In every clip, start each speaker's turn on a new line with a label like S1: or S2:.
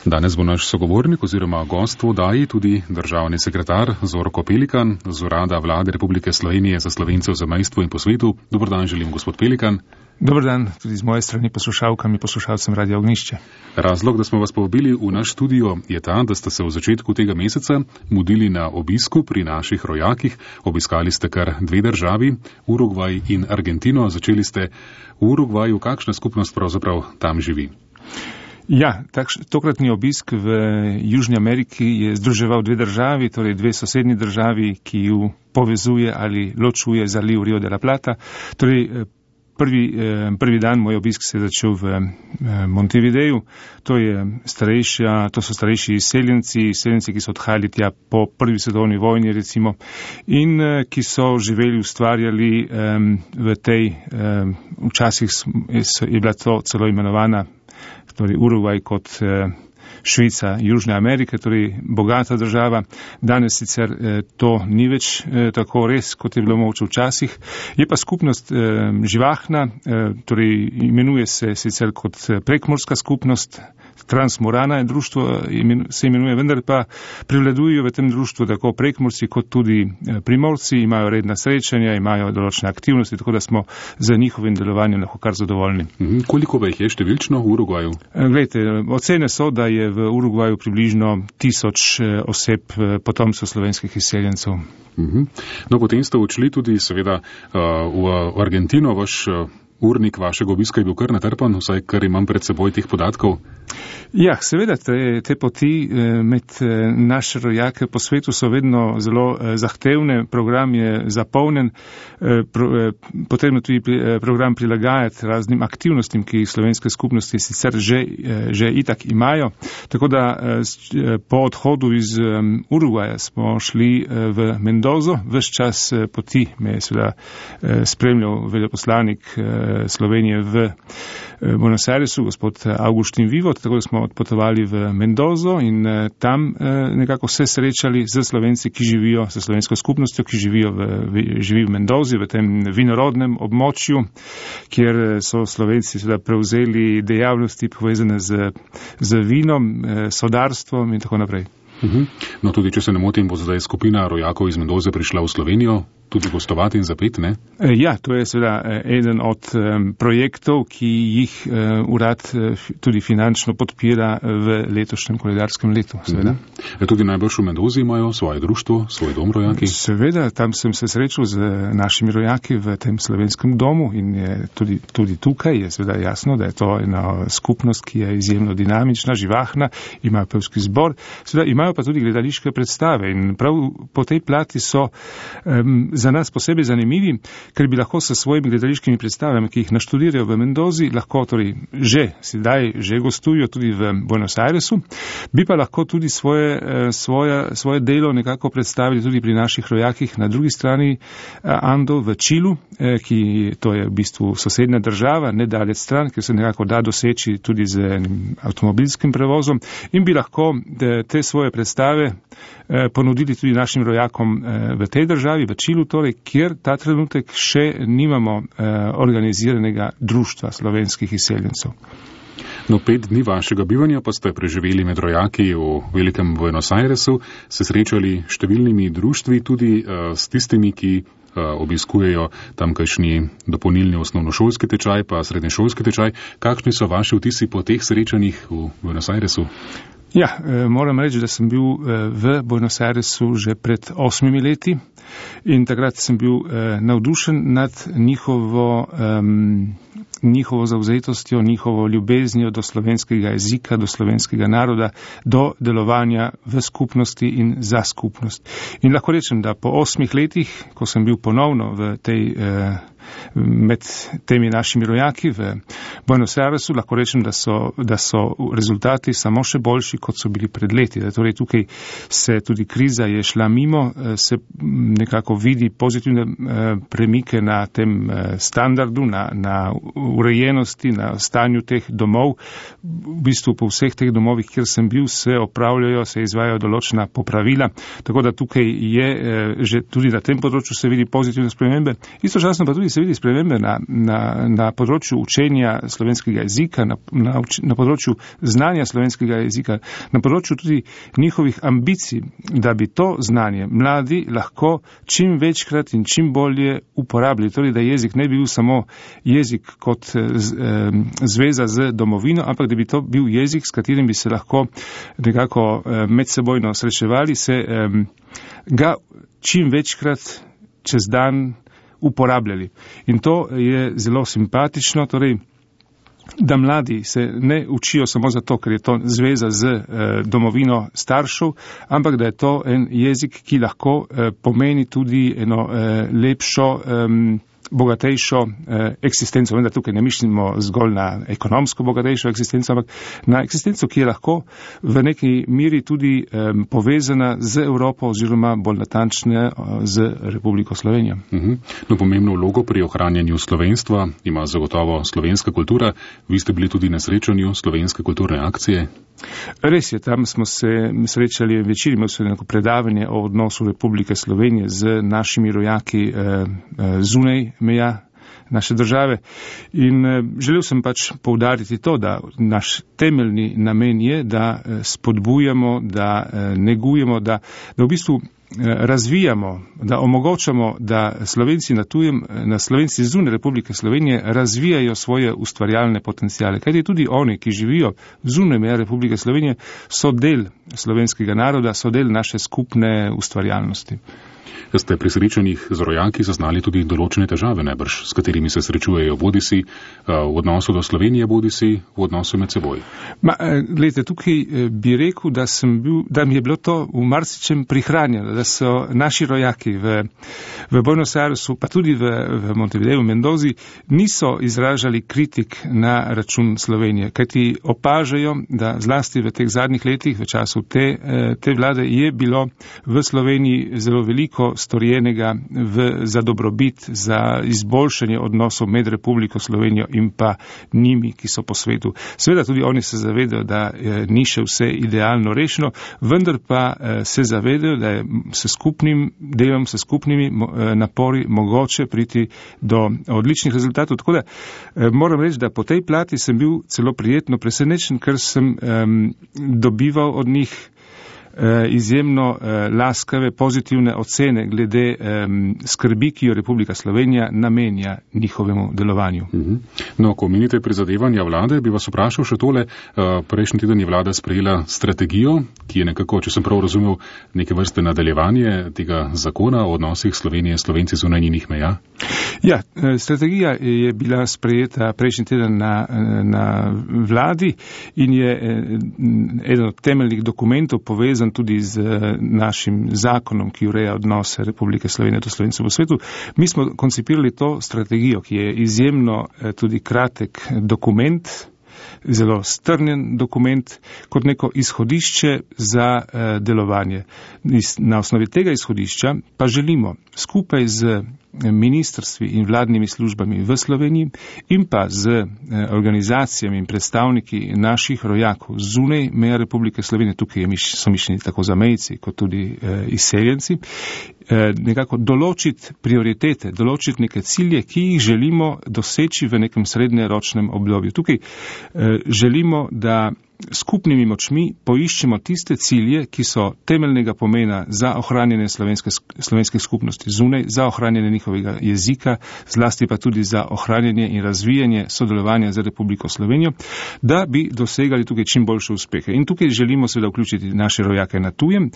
S1: Danes bo naš sogovornik oziroma gost v oddaji tudi državni sekretar Zorko Pelikan z Urada Vlade Republike Slovenije za Slovence v zamejstvu in po svetu. Dober dan želim, gospod Pelikan.
S2: Dober dan tudi z moje strani poslušalkam in poslušalcem Radia Ognjišče.
S1: Razlog, da smo vas povabili v naš studio, je ta, da ste se v začetku tega meseca mudili na obisku pri naših rojakih. Obiskali ste kar dve državi, Urugvaj in Argentino. Začeli ste v Urugvaju. Kakšna skupnost pravzaprav tam živi?
S2: Ja, tokratni obisk v Južni Ameriki je združeval dve državi, torej dve sosednji državi, ki ju povezuje ali ločuje zaliv Rio de la Plata. Torej, prvi dan moj obisk se je začel v Montevideju. To so starejši izseljenci, ki so odhajali tja po prvi svetovni vojni recimo in ki so živeli, ustvarjali v tej, včasih je bila to celo imenovana torej Urugvaj kot Švica Južne Amerike, torej bogata država. Danes sicer to ni več tako res, kot je bilo mogoče včasih. Je pa skupnost živahna, torej imenuje se sicer kot prekmorska skupnost, Transmorana je društvo, se imenuje, vendar pa prevladujejo v tem društvu tako prekmorci kot tudi primorci, imajo redna srečanja, imajo določene aktivnosti, tako da smo za njihovim delovanjem lahko kar zadovoljni.
S1: Koliko pa jih je številčno v Urugvaju?
S2: Glejte, ocene so, da je v Urugvaju približno 1000 oseb potomcev slovenskih izseljencev.
S1: No, potem ste odšli tudi seveda v Argentino. Vaš urnik vašega obiska je bil kar natrpan, vsaj kar imam pred seboj teh podatkov.
S2: Ja, seveda, te poti med naše rojake po svetu so vedno zelo zahtevne, program je zapolnjen, potrebno tudi program prilagajati raznim aktivnostim, ki jih slovenske skupnosti sicer že itak imajo. Tako da po odhodu iz Urugvaja smo šli v Mendozo, ves čas poti me je seveda spremljal veleposlanik Slovenije v Buenos Airesu, gospod Augustin Vivot, tako da smo odpotovali v Mendozo in tam nekako se srečali z Slovenci, ki živijo, s slovensko skupnostjo, ki živi v Mendozi, v tem vinorodnem območju, kjer so Slovenci seveda prevzeli dejavnosti povezane z vinom, sodarstvom in tako naprej.
S1: No, tudi če se ne motim, bo zdaj skupina rojakov iz Mendoze prišla v Slovenijo tudi gostovati in zapet, ne?
S2: Ja, to je seveda eden od projektov, ki jih urad tudi finančno podpira v letošnjem koledarskem letu, seveda.
S1: Tudi najbrž v Mendozi imajo svoje društvo, svoj dom rojaki?
S2: Seveda, tam sem se srečal z našimi rojaki v tem slovenskem domu in je tudi tukaj je seveda jasno, da je to ena skupnost, ki je izjemno dinamična, živahna, ima pevski zbor, seveda imajo pa tudi gledališke predstave in prav po tej plati so za nas posebej zanimivi, ker bi lahko s svojimi gledališkimi predstavami, ki jih naštudirajo v Mendozi, lahko torej že gostujo tudi v Buenos Airesu, bi pa lahko tudi svoje delo nekako predstavili tudi pri naših rojakih na drugi strani Andov v Čilu, ki to je v bistvu sosednja država, nedalec stran, ker se nekako da doseči tudi z avtomobilskim prevozom in bi lahko te svoje predstave ponudili tudi našim rojakom v tej državi, v Čilu torej, kjer ta trenutek še nimamo organiziranega društva slovenskih izseljencev.
S1: No, 5 dni vašega bivanja pa ste preživeli med rojaki v velikem Buenos Airesu, se srečali številnimi društvi, tudi s tistimi, ki obiskujejo tamkajšnji dopolnilni osnovnošolski tečaj, pa srednješolski tečaj. Kakšni so vaši vtisi po teh srečanjih v Buenos Airesu?
S2: Ja, moram reči, da sem bil v Buenos Airesu že pred 8 leti in takrat sem bil navdušen nad njihovo zavzetostjo, njihovo ljubeznijo do slovenskega jezika, do slovenskega naroda, do delovanja v skupnosti in za skupnost. In lahko rečem, da po 8 letih, ko sem bil ponovno med temi našimi rojaki v Buenos Airesu, lahko rečem, da so rezultati samo še boljši, kot so bili pred leti. Torej tukaj se tudi kriza je šla mimo, se nekako vidi pozitivne premike na tem standardu, na urejenosti, na stanju teh domov. V bistvu po vseh teh domovih, kjer sem bil, se izvajajo določena popravila, tako da tukaj je že tudi na tem področju se vidi pozitivne spremembe. Istočasno pa tudi se vidi spremembe na področju učenja slovenskega jezika, na področju znanja slovenskega jezika, na področju tudi njihovih ambicij, da bi to znanje mladi lahko čim večkrat in čim bolje uporabljali. Torej, da jezik ne bi bil samo jezik kot zveza z domovino, ampak da bi to bil jezik, s katerim bi se lahko nekako medsebojno srečevali, se ga čim večkrat čez dan uporabljali. In to je zelo simpatično, torej, da mladi se ne učijo samo zato, ker je to zveza z domovino staršev, ampak da je to en jezik, ki lahko pomeni tudi eno lepšo, bogatejšo eksistenco. Vendar tukaj ne mislimo zgolj na ekonomsko bogatejšo eksistenco, ampak na eksistenco, ki je lahko v neki miri tudi povezana z Evropo oziroma bolj natančne z Republiko Slovenijo.
S1: No, pomembno vlogo pri ohranjanju slovenstva ima zagotovo slovenska kultura. Vi ste bili tudi na srečanju slovenske kulturne akcije.
S2: Res je, tam smo se srečali večer, imeli smo neko predavanje o odnosu Republike Slovenije z našimi rojaki zunaj meja naše države. In želel sem pač poudariti to, da naš temeljni namen je, da spodbujamo, da negujemo, da v bistvu razvijamo, da omogočamo, da Slovenci na tujem, na Slovenci zunaj Republike Slovenije razvijajo svoje ustvarjalne potencijale. Kajti tudi oni, ki živijo zunaj meja Republike Slovenije, so del slovenskega naroda, so del naše skupne ustvarjalnosti.
S1: Ste pri srečanjih z rojaki zaznali tudi določene težave, najbrž, s katerimi se srečujejo bodisi v odnosu do Slovenije, bodisi v odnosu med seboj?
S2: Glejte, tukaj bi rekel, da mi je bilo to v marsičem prihranjeno, da so naši rojaki v Buenos Airesu, pa tudi v Montevideo, v Mendozi, niso izražali kritik na račun Slovenije, kajti opažajo, da zlasti v teh zadnjih letih, v času te vlade, je bilo v Sloveniji zelo veliko storjenega za dobrobit, za izboljšanje odnosov med Republiko Slovenijo in pa njimi, ki so po svetu. Seveda tudi oni se zavedajo, da ni še vse idealno rešeno, vendar pa se zavedajo, da je s skupnim delom, s skupnimi napori mogoče priti do odličnih rezultatov. Tako da moram reči, da po tej plati sem bil celo prijetno presenečen, ker sem dobival od njih izjemno laskave, pozitivne ocene glede skrbi, ki jo Republika Slovenija namenja njihovemu delovanju.
S1: No, ko omenite prizadevanja vlade, bi vas vprašal še tole. Prejšnji teden je vlada sprejela strategijo, ki je nekako, če sem prav razumel, neke vrste nadaljevanje tega zakona o odnosih Slovenije s Slovenci zunaj njenih meja.
S2: Ja, strategija je bila sprejeta prejšnji teden na vladi in je eden od temeljnih dokumentov povezan tudi z našim zakonom, ki ureja odnose Republike Slovenije do Slovencev v svetu. Mi smo koncipirali to strategijo, ki je izjemno tudi kratek dokument, zelo strnjen dokument, kot neko izhodišče za delovanje. Na osnovi tega izhodišča pa želimo skupaj z ministrstvi in vladnimi službami v Sloveniji in pa z organizacijami in predstavniki naših rojakov zunaj meja Republike Slovenije, tukaj so mišljeni tako zamejci kot tudi izseljenci, nekako določiti prioritete, določiti neke cilje, ki jih želimo doseči v nekem srednjeročnem obdobju. Tukaj želimo, da skupnimi močmi poiščemo tiste cilje, ki so temeljnega pomena za ohranjanje slovenske skupnosti zunaj, za ohranjanje njihovega jezika, zlasti pa tudi za ohranjanje in razvijanje sodelovanja z Republiko Slovenijo, da bi dosegali tukaj čim boljše uspehe. In tukaj želimo seveda vključiti naše rojake na tujem,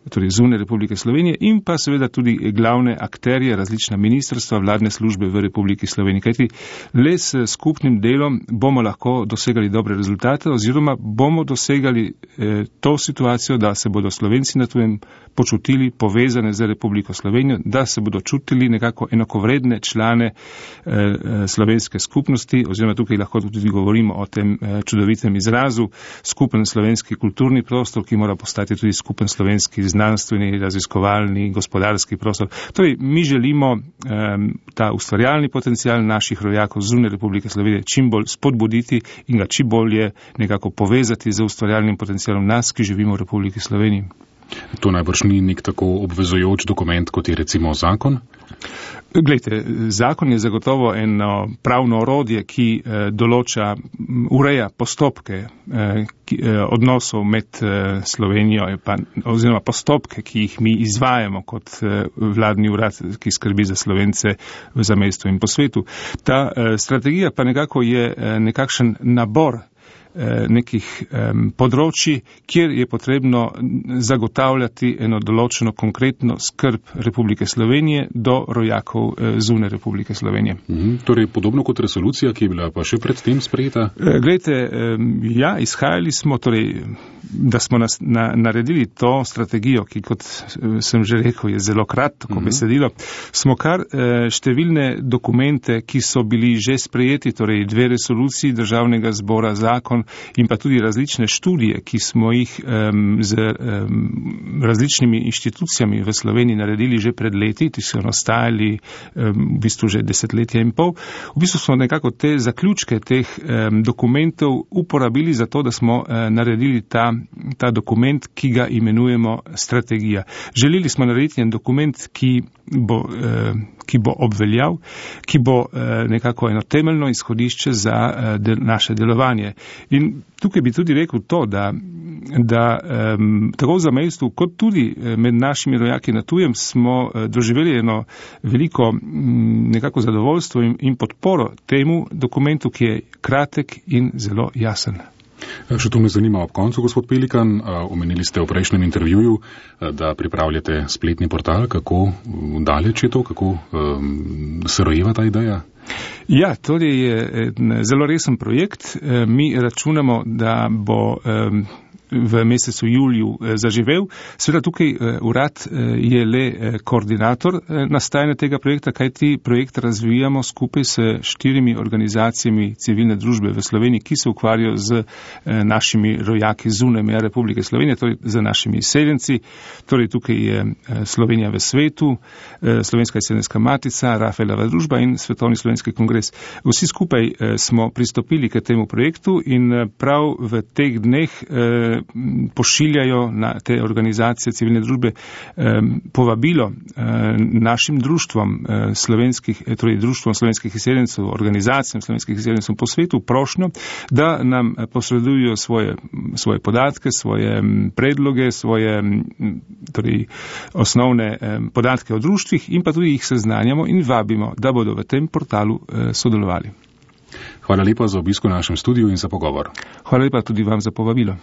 S2: torej zunaj Republike Slovenije, in pa seveda tudi glavne akterje, različna ministrstva, vladne službe v Republiki Sloveniji. Kajti le s skupnim delom bomo lahko dosegali dobre rezultate oziroma bomo dosegali to situacijo, da se bodo Slovenci na tujem počutili povezane z Republiko Slovenijo, da se bodo čutili nekako enakovredne člane slovenske skupnosti, oziroma tukaj lahko tudi govorimo o tem čudovitem izrazu, skupen slovenski kulturni prostor, ki mora postati tudi skupen slovenski znanstveni, raziskovalni, gospodarski prostor. Torej, mi želimo ta ustvarjalni potencial naših rojakov zunaj Republike Slovenije čim bolj spodbuditi in ga čim bolje nekako povezati z ustvarjalnim potencialom nas, ki živimo v Republiki Sloveniji.
S1: To najbrž ni nek tako obvezujoč dokument, kot je recimo zakon?
S2: Glejte, zakon je zagotovo eno pravno orodje, ki ureja postopke odnosov med Slovenijo oziroma postopke, ki jih mi izvajamo kot vladni urad, ki skrbi za Slovence v zamejstvu in po svetu. Ta strategija pa nekako je nekakšen nabor nekih področji, kjer je potrebno zagotavljati eno določeno konkretno skrb Republike Slovenije do rojakov zunaj Republike Slovenije.
S1: Torej podobno kot resolucija, ki je bila pa še pred tem sprejeta?
S2: Glejte, ja, izhajali smo, da smo naredili to strategijo, ki, kot sem že rekel, je zelo kratko besedilo, smo kar številne dokumente, ki so bili že sprejeti, torej 2 resoluciji Državnega zbora, zakon in pa tudi različne študije, ki smo jih z različnimi inštitucijami v Sloveniji naredili že pred leti, ki so nastajali v bistvu že 10 let in pol. V bistvu smo nekako te zaključke teh dokumentov uporabili za to, da smo naredili ta dokument, ki ga imenujemo strategija. Želeli smo narediti en dokument, ki bo obveljal, ki bo nekako eno temeljno izhodišče za naše delovanje. In tukaj bi tudi rekel to, da tako v zamejstvu, kot tudi med našimi rojaki na tujem smo doživeli eno veliko nekako zadovoljstvo in podporo temu dokumentu, ki je kratek in zelo jasen.
S1: Še to me zanima ob koncu, gospod Pelikan. Omenili ste v prejšnjem intervjuju, da pripravljate spletni portal. Kako daleč je to? Kako se rojeva ta ideja?
S2: Ja, to je zelo resen projekt. Mi računamo, da bo v mesecu juliju zaživel. Seveda tukaj urad je le koordinator nastajanja tega projekta, kajti projekt razvijamo skupaj s 4 organizacijami civilne družbe v Sloveniji, ki se ukvarjajo z našimi rojaki zunaj meja Republike Slovenije, torej z našimi izseljenci. Torej tukaj je Slovenija v svetu, Slovenska izseljenska matica, Rafaelova družba in Svetovni slovenski kongres. Vsi skupaj smo pristopili k temu projektu in prav v teh dneh pošiljajo na te organizacije civilne družbe povabilo našim društvom torej društvom slovenskih izseljencev, organizacijam slovenskih izseljencev po svetu prošnjo, da nam posredujo svoje podatke, svoje predloge, svoje torej osnovne podatke o društvih in pa tudi jih seznanjamo in vabimo, da bodo v tem portalu sodelovali.
S1: Hvala lepa za obisk v našem studiu in za pogovor.
S2: Hvala lepa tudi vam za povabilo.